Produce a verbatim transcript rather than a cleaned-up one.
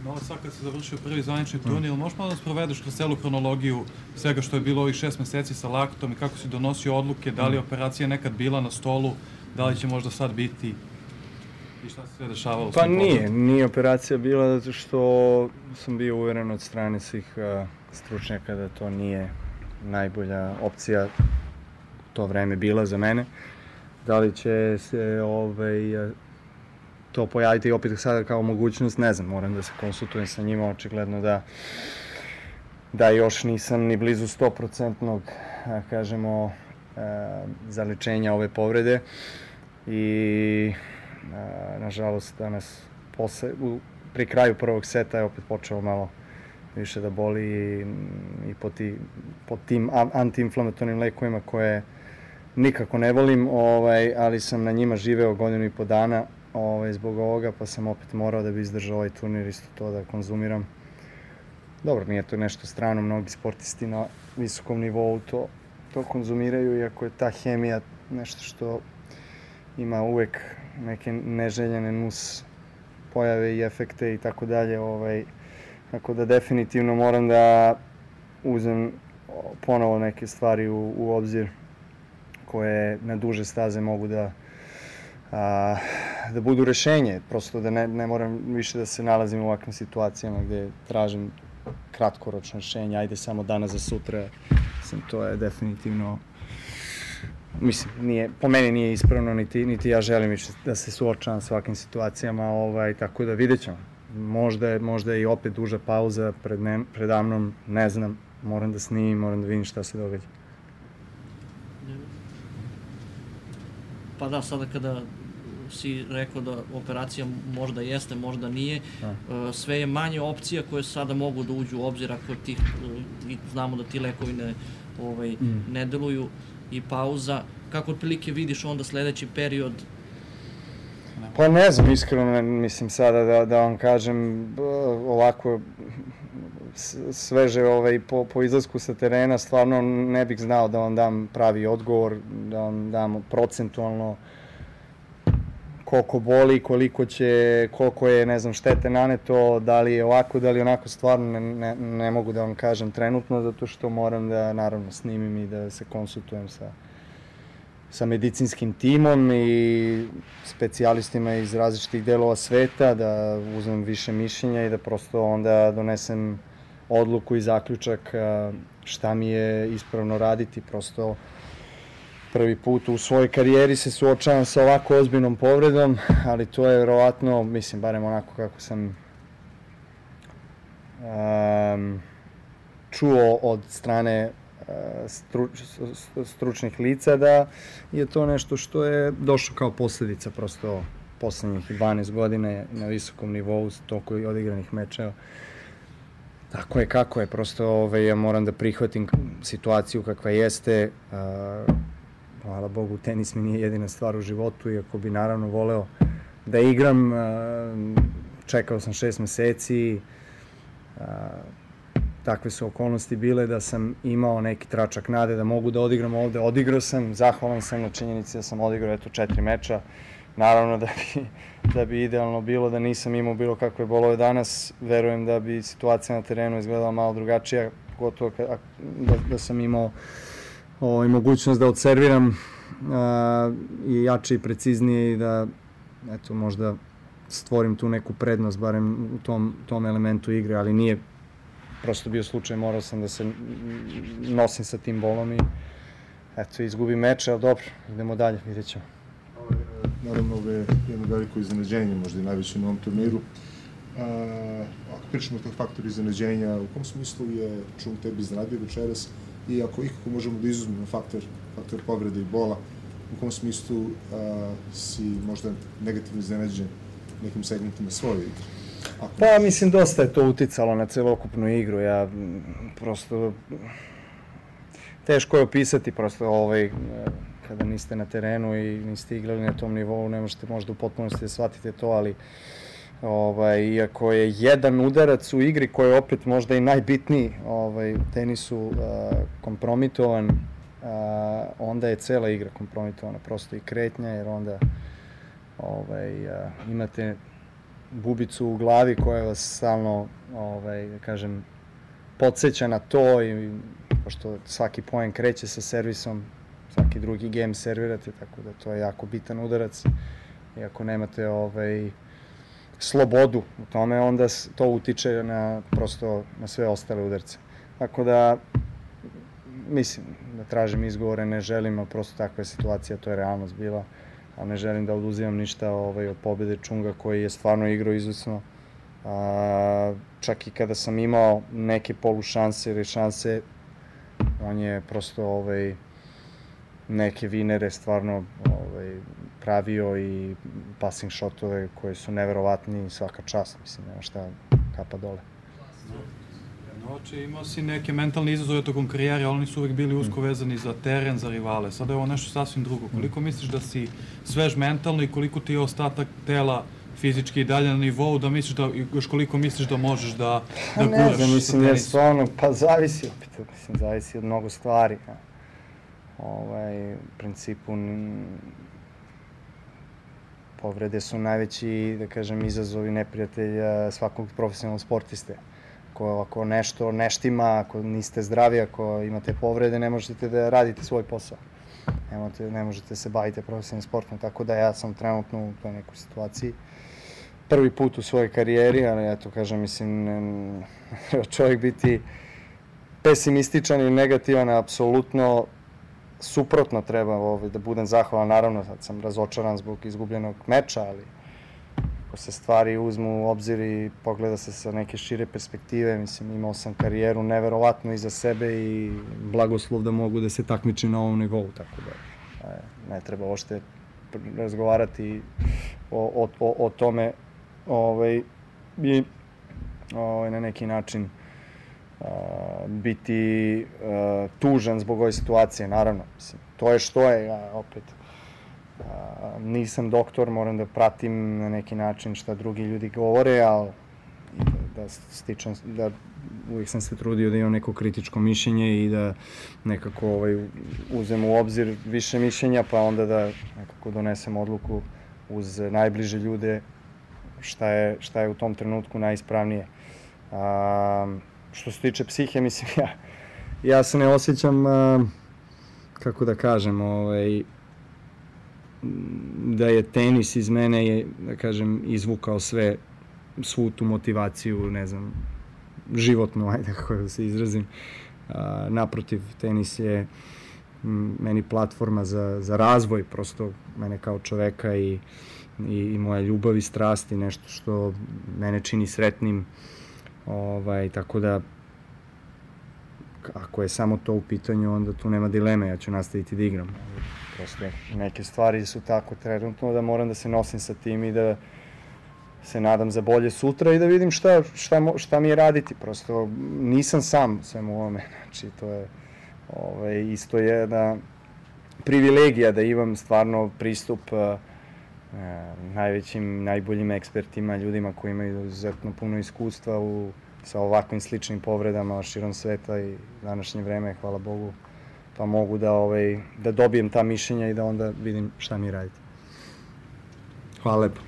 Ovo sad kad se završio prvi zvanični turnir, možeš malo da sprovedeš kroz celu hronologiju svega što je bilo ovih šest meseci sa laktom i kako si donosio odluke, da li je operacija nekad bila na stolu, da li će možda sad biti i šta se sve dešavalo? Pa nije, nije operacija bila zato što sam bio uveren od strane svih stručnjaka da to nije najbolja opcija to vreme bila za mene. Da li će se ovaj, to pojaviti opet sada kao mogućnost, ne znam, moram da se konsultujem sa njima, očigledno da da još nisam ni blizu sto procentnog, kažemo, zalečenja ove povrede i nažalost danas posle, pri kraju prvog seta je opet počelo malo više da boli i, i po, ti, po tim antiinflamatornim lekovima koje nikako ne volim, ovaj, ali sam na njima živeo godinu i po dana ovaj, zbog ovoga, pa sam opet morao da bi izdržao ovaj turnir isto to da konzumiram. Dobro, nije to nešto strano, mnogi sportisti na visokom nivou to, to konzumiraju, iako je ta hemija nešto što ima uvek neke neželjene nus pojave i efekte i tako dalje. Ovaj, tako da definitivno moram da uzem ponovo neke stvari u, u obzir koje na duže staze mogu da, a, da budu rešenje. Prosto da ne, ne moram više da se nalazim u ovakvim situacijama gde tražim kratkoročno rešenje, ajde samo danas za sutra. Mislim, to je definitivno, mislim, nije, po meni nije ispravno, niti, niti ja želim više da se suočavam s ovakvim situacijama, ovaj, tako da vidjet ćemo. Možda je, možda je i opet duža pauza pred ne, predamnom, ne znam, moram da snimim, moram da vidim šta se događa. Pa da, sada kada si rekao da operacija možda jeste, možda nije, a. sve je manje opcija koje sada mogu da uđu u obzir ako ti, znamo da ti lekovi ne, ovaj, mm. ne deluju i pauza. Kako otprilike vidiš onda sledeći period? Pa ne znam, iskreno, mislim sada da, da vam kažem ovako sveže ovaj, po, po izlasku sa terena, stvarno ne bih znao da vam dam pravi odgovor, da vam dam procentualno koliko boli, koliko će, koliko je, ne znam, štete naneto, da li je ovako, da li je onako, stvarno ne, ne, ne mogu da vam kažem trenutno, zato što moram da, naravno, snimim i da se konsultujem sa sa medicinskim timom i specijalistima iz različitih delova sveta, da uzmem više mišljenja i da prosto onda donesem odluku i zaključak šta mi je ispravno raditi. Prosto prvi put u svojoj karijeri se suočavam sa ovako ozbiljnom povredom, ali to je verovatno, mislim, barem onako kako sam um, čuo od strane Struč, stručnih lica, da je to nešto što je došlo kao posledica prosto poslednjih dvanaest godina na visokom nivou toliko odigranih mečeva. Tako je kako je, prosto ovaj, ja moram da prihvatim situaciju kakva jeste. Hvala Bogu, tenis mi nije jedina stvar u životu, iako bi naravno voleo da igram. Čekao sam šest meseci, takve su okolnosti bile da sam imao neki tračak nade da mogu da odigram ovde. Odigrao sam, zahvalan sam na činjenici da sam odigrao eto četiri meča. Naravno da bi, da bi idealno bilo da nisam imao bilo kakve bolove danas. Verujem da bi situacija na terenu izgledala malo drugačija, pogotovo da, da sam imao ovaj, mogućnost da odserviram a, i jače i preciznije i da eto, možda stvorim tu neku prednost, barem u tom, tom elementu igre, ali nije prosto bio slučaj, morao sam da se nosim sa tim bolom i eto, izgubim meč, ali dobro, idemo dalje, vidjet ćemo. Naravno, ovo je jedno veliko iznenađenje, možda i najveće na ovom turniru. Ako pričamo o tog faktora iznenađenja, u kom smislu je čum tebi iznenadio večeras i ako ikako možemo da izuzmemo faktor, faktor povrede i bola, u kom smislu si možda negativno iznenađen nekim segmentima svoje igre? Pa, mislim, dosta je to uticalo na celokupnu igru. Ja, prosto, teško je opisati, prosto, ovaj, kada niste na terenu i niste igrali na tom nivou, ne možete možda u potpunosti da shvatite to, ali ovaj, iako je jedan udarac u igri koji je opet možda i najbitniji ovaj, u tenisu a, kompromitovan, a, onda je cela igra kompromitovana, prosto i kretnja, jer onda ovaj, a, imate bubicu u glavi koja vas stalno, ovaj, da kažem, podsjeća na to, i pošto svaki poen kreće sa servisom, svaki drugi game servirate, tako da to je jako bitan udarac. I ako nemate ovaj, slobodu u tome, onda to utiče na, prosto, na sve ostale udarce. Tako da, mislim, da tražim izgovore, ne želim, ali prosto takva je situacija, to je realnost bila, ali ne želim da oduzimam ništa ovaj, od pobjede Čunga, koji je stvarno igrao izvrsno. A, čak i kada sam imao neke polušanse ili šanse, on je prosto ovaj, neke vinere stvarno ovaj, pravio i passing shotove koji su neverovatni i svaka čast, mislim, nema šta, kapa dole. Znači, imao si neke mentalne izazove tokom karijere, ali oni su uvek bili usko vezani za teren, za rivale. Sada je ovo nešto sasvim drugo. Koliko misliš da si svež mentalno i koliko ti je ostatak tela fizički i dalje na nivou, da misliš da, još koliko misliš da možeš da, da guraš sa tenisom? Ne znam, mislim, jer stvarno, pa zavisi opet, mislim, zavisi od mnogo stvari. Ovaj, u principu, povrede su najveći, da kažem, izazovi neprijatelja svakog profesionalnog sportiste. Ako, ako nešto neštima, ako niste zdravi, ako imate povrede, ne možete da radite svoj posao. Ne, ne možete se baviti profesionalnim sportom, tako da ja sam trenutno u toj nekoj situaciji. Prvi put u svojoj karijeri, ali eto, kažem, mislim, čovjek biti pesimističan ili negativan, apsolutno suprotno treba ovaj, da budem zahvalan. Naravno, sad sam razočaran zbog izgubljenog meča, ali ako se stvari uzmu u obzir i pogleda se sa neke šire perspektive, mislim, imao sam karijeru neverovatno iza sebe i blagoslov da mogu da se takmičim na ovom nivou, tako da ne treba uopšte razgovarati o, o, o tome ovaj, i ovaj, na neki način Uh, biti uh, tužan zbog ove situacije, naravno. Mislim, to je što je, ja opet uh, nisam doktor, moram da pratim na neki način šta drugi ljudi govore, ali da, da stičem, da uvijek sam se trudio da imam neko kritičko mišljenje i da nekako ovaj, uzem u obzir više mišljenja, pa onda da nekako donesem odluku uz najbliže ljude šta je, šta je u tom trenutku najispravnije. Uh, Što se tiče psihe, mislim, ja, ja se ne osjećam, uh, kako da kažem, ovaj, da je tenis iz mene, je, da kažem, izvukao sve, svu tu motivaciju, ne znam, životnu, ajde kako da se izrazim. Uh, naprotiv, tenis je m, meni platforma za, za razvoj, prosto mene kao čoveka i, i, i moja ljubav i strast i nešto što mene čini sretnim. Ovaj, tako da, ako je samo to u pitanju, onda tu nema dileme, ja ću nastaviti da igram. Prosto neke stvari su tako trenutno da moram da se nosim sa tim i da se nadam za bolje sutra i da vidim šta, šta, šta mi je raditi. Prosto nisam sam svemu ovome, znači to je ovaj, isto je da privilegija da imam stvarno pristup uh, najvećim, najboljim ekspertima, ljudima koji imaju izuzetno puno iskustva u, sa ovakvim sličnim povredama širom sveta i današnje vreme, hvala Bogu, pa mogu da, ovaj, da dobijem ta mišljenja i da onda vidim šta mi raditi. Hvala lepo.